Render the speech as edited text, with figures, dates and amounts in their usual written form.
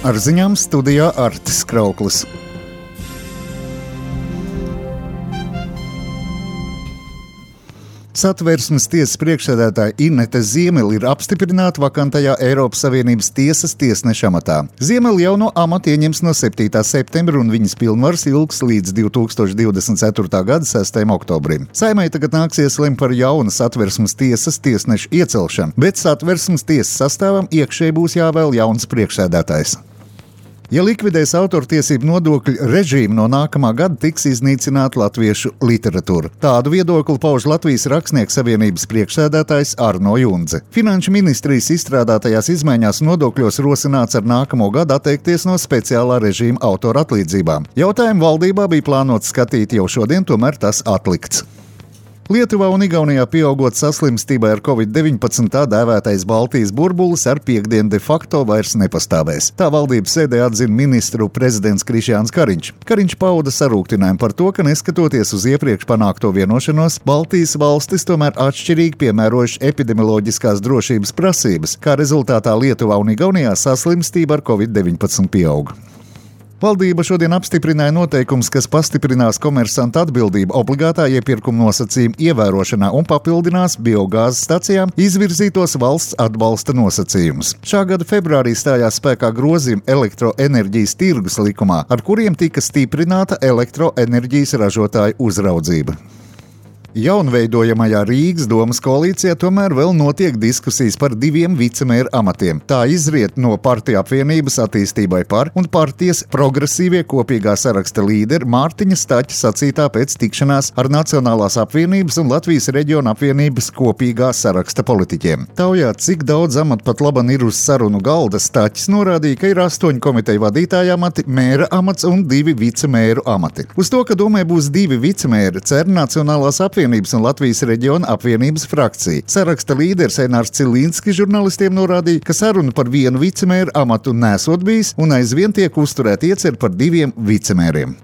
Ar ziņām studijā Artis Krauklis. Satversmes tiesas priekšsēdētāja Inete Ziemele ir apstiprināta vakantajā Eiropas Savienības tiesas tiesneša amatā. Ziemele jau no amata ieņems no 7. septembra un viņas pilnvaras ilgs līdz 2024. gada 6. oktobrim. Saeimai tagad nāksies lemt par jaunu Satversmes tiesas tiesnešu iecelšanu, bet Satversmes tiesas sastāvam iekšēji būs jāvēl jauns priekšsēdētājs. Ja likvidēs autortiesību nodokļu režīmu, no nākamā gada tiks iznīcināta latviešu literatūra. Tādu viedokli pauž Latvijas Rakstnieku savienības priekšsēdētājs Arno Jundze. Finanšu ministrijas izstrādātajās izmaiņās nodokļos rosināts ar nākamo gadu atteikties no speciālā režīma autora atlīdzībām. Jautājumu valdībā bija plānots skatīt jau šodien, tomēr tas atlikts. Lietuvā un Igaunijā pieaugot saslimstībai ar Covid-19 tā dēvētais Baltijas burbulis ar piektdienu de facto vairs nepastāvēs. Tā valdības sēdē atzina ministru prezidents Krišjāns Kariņš. Kariņš pauda sarūktinājumu par to, ka neskatoties uz iepriekš panākto vienošanos, Baltijas valstis tomēr atšķirīgi piemērojuši epidemioloģiskās drošības prasības, kā rezultātā Lietuvā un Igaunijā saslimstība ar Covid-19 pieauga. Valdība šodien apstiprināja noteikumus, kas pastiprinās komersanta atbildību obligātā iepirkuma nosacījumu ievērošanā un papildinās biogāzes stacijām izvirzītos valsts atbalsta nosacījumus. Šā gada februārī stājās spēkā grozījumi elektroenerģijas tirgus likumā, ar kuriem tika stiprināta elektroenerģijas ražotāju uzraudzība. Jaunveidojamajā Rīgas domas koalīcijā tomēr vēl notiek diskusijas par 2 vicemēru amatiem. Tā izriet no partiju apvienības attīstībai par un partijas progresīvie kopīgā saraksta līderi Mārtiņa Staķa sacītā pēc tikšanās ar Nacionālās apvienības un Latvijas reģiona apvienības kopīgā saraksta politiķiem. Taujā, cik daudz amatu pat laban ir uz sarunu galda, Staķis norādīja, ka ir 8 komiteju vadītāja amati, mēra amats un 2 vicemēru amati. Uz to, ka domē būs 2 vicemēri, cer Nacionālās apvienības un Latvijas reģiona apvienības frakcija. Saraksta līderis Einārs Cilīnskis žurnalistiem norādīja, ka saruna par 1 vicemēru amatu nesot bijis un aizvien tiek uzturēta iecer par 2 vicemēriem.